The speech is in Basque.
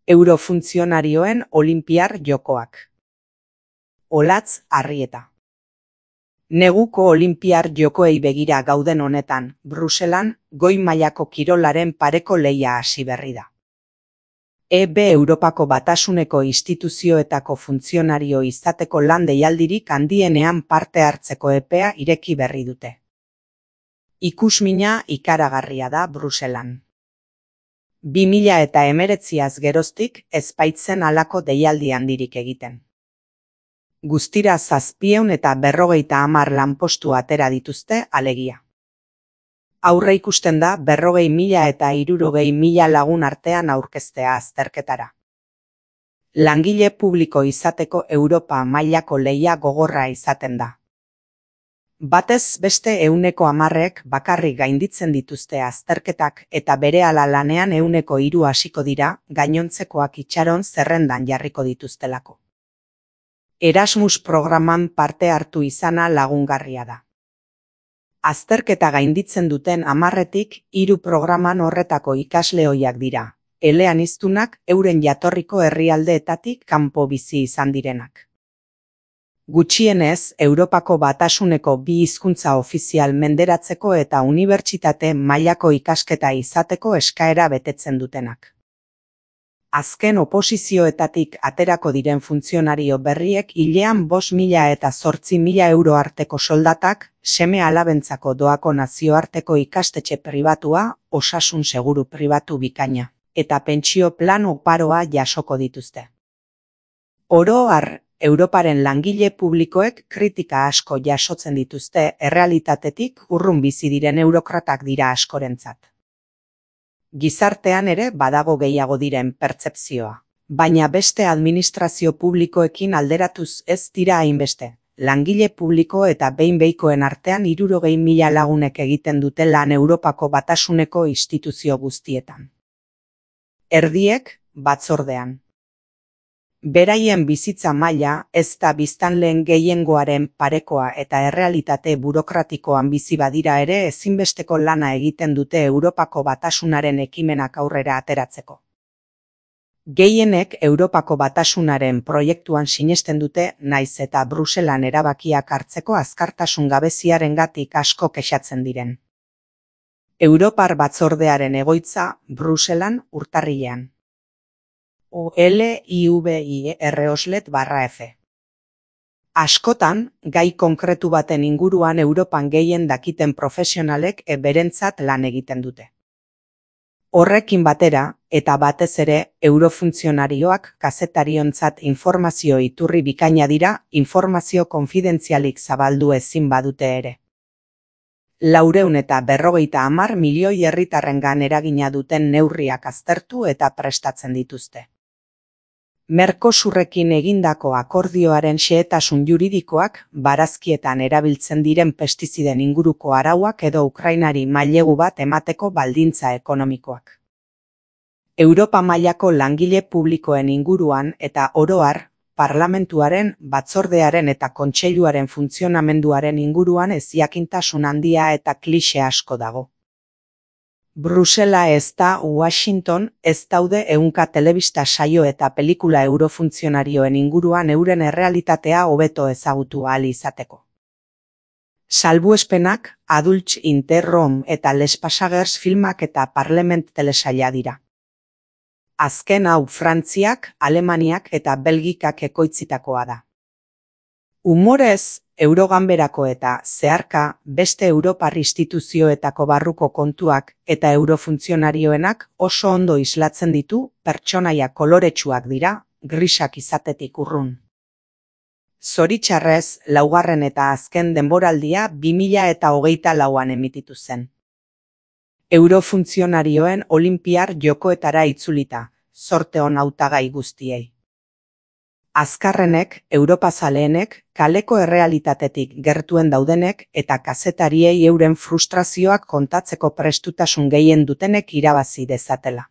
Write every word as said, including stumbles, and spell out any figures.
Eurofuntzionarioen Olinpiar Jokoak. Olatz Arrieta. Neguko Olinpiar Jokoei begira gauden honetan, Bruselan, goi mailako kirolaren pareko lehia hasi berri da. E B Europako Batasuneko instituzioetako funtzionario izateko lan deialdirik handienean parte hartzeko epea ireki berri dute. Ikusmina ikaragarria da Bruselan. bi mila eta hemeretziaz geroztik ez baitzen halako deialdi handirik egiten. Guztira zazpiehun eta berrogeita hamar lanpostu atera dituzte alegia. Aurre ikusten da berrogei mila eta hirurogei mila lagun artean aurkeztea azterketara. Langile publiko izateko Europa mailako lehia gogorra izaten da. Batez beste ehuneko hamarrek bakarrik gainditzen dituzte azterketak eta berehala lanean ehuneko hiru hasiko dira gainontzekoak itxaron zerrendan jarriko dituztelako. Erasmus programan parte hartu izana lagungarria da. Azterketa gainditzen duten hamarretik hiru programan horretako ikasle ohiak dira, eleaniztunak euren jatorriko herrialdeetatik kanpo bizi izan direnak. Gutxienez, Europako Batasuneko bi hizkuntza ofizial menderatzeko eta unibertsitate mailako ikasketa izateko eskaera betetzen dutenak. Azken oposizioetatik aterako diren funtzionario berriek hilean bost mila eta zortzi mila euro arteko soldatak, seme alabentzako doako nazioarteko ikastetxe pribatua, osasun seguru pribatu bikaina, eta pentsio plan oparoa jasoko dituzte. Oro har, Europaren langile publikoek kritika asko jasotzen dituzte errealitatetik urrun bizi diren eurokratak dira askorentzat. Gizartean ere badago gehiago diren pertzepzioa, baina beste administrazio publikoekin alderatuz ez dira hainbeste. Langile publiko eta behin-behikoen artean hirurogei mila lagunek egiten dute lan Europako Batasuneko instituzio guztietan. Erdiek batzordean. Beraien bizitza maila ez da biztanleen gehiengoaren parekoa eta errealitate burokratikoan bizi badira ere ezinbesteko lana egiten dute Europako Batasunaren ekimenak aurrera ateratzeko. Gehienek Europako Batasunaren proiektuan sinesten dute naiz eta Bruselan erabakiak hartzeko azkartasun gabeziarengatik asko kexatzen diren. Europar Batzordearen egoitza Bruselan urtarrilean. O L I V I R oslet barra F. Askotan, gai konkretu baten inguruan Europan gehien dakiten profesionalek berentzat lan egiten dute. Horrekin batera, eta batez ere, eurofuntzionarioak kazetariontzat informazio iturri bikaina dira, informazio konfidentzialik zabaldu ezin badute ere. Laurehun eta berrogeita hamar milioi herritarrengan eragina duten neurriak aztertu eta prestatzen dituzte. Mercosurrekin egindako akordioaren xehetasun juridikoak, barazkietan erabiltzen diren pestiziden inguruko arauak edo Ukrainari mailegu bat emateko baldintza ekonomikoak. Europa mailako langile publikoen inguruan eta oro har, parlamentuaren, batzordearen eta kontseiluaren funtzionamenduaren inguruan ezjakintasun handia eta klixe asko dago. Brusela ez da Washington, ez daude ehunka telebista saio eta pelikula eurofuntzionarioen inguruan euren errealitatea hobeto ezagutu ahal izateko. Salbuespenak, Adults in the Room eta Les Passagers filmak eta Parlement telesaila dira. Azken hau Frantziak, Alemaniak eta Belgikak ekoitzitakoa da. Humorez, Euroganberako eta, zeharka, beste Europar instituzioetako barruko kontuak eta eurofuntzionarioenak oso ondo islatzen ditu, pertsonaia koloretsuak dira, grisak izatetik urrun. Zoritxarrez, laugarren eta azken denboraldia bi mila eta hogeita lauan emititu zen. Eurofuntzionarioen Olinpiar Jokoetara itzulita, zorte on hautagai guztiei. Azkarrenek, Europazaleenek, kaleko errealitatetik gertuen daudenek eta kazetariei euren frustrazioak kontatzeko prestutasun gehien dutenek irabazi dezatela.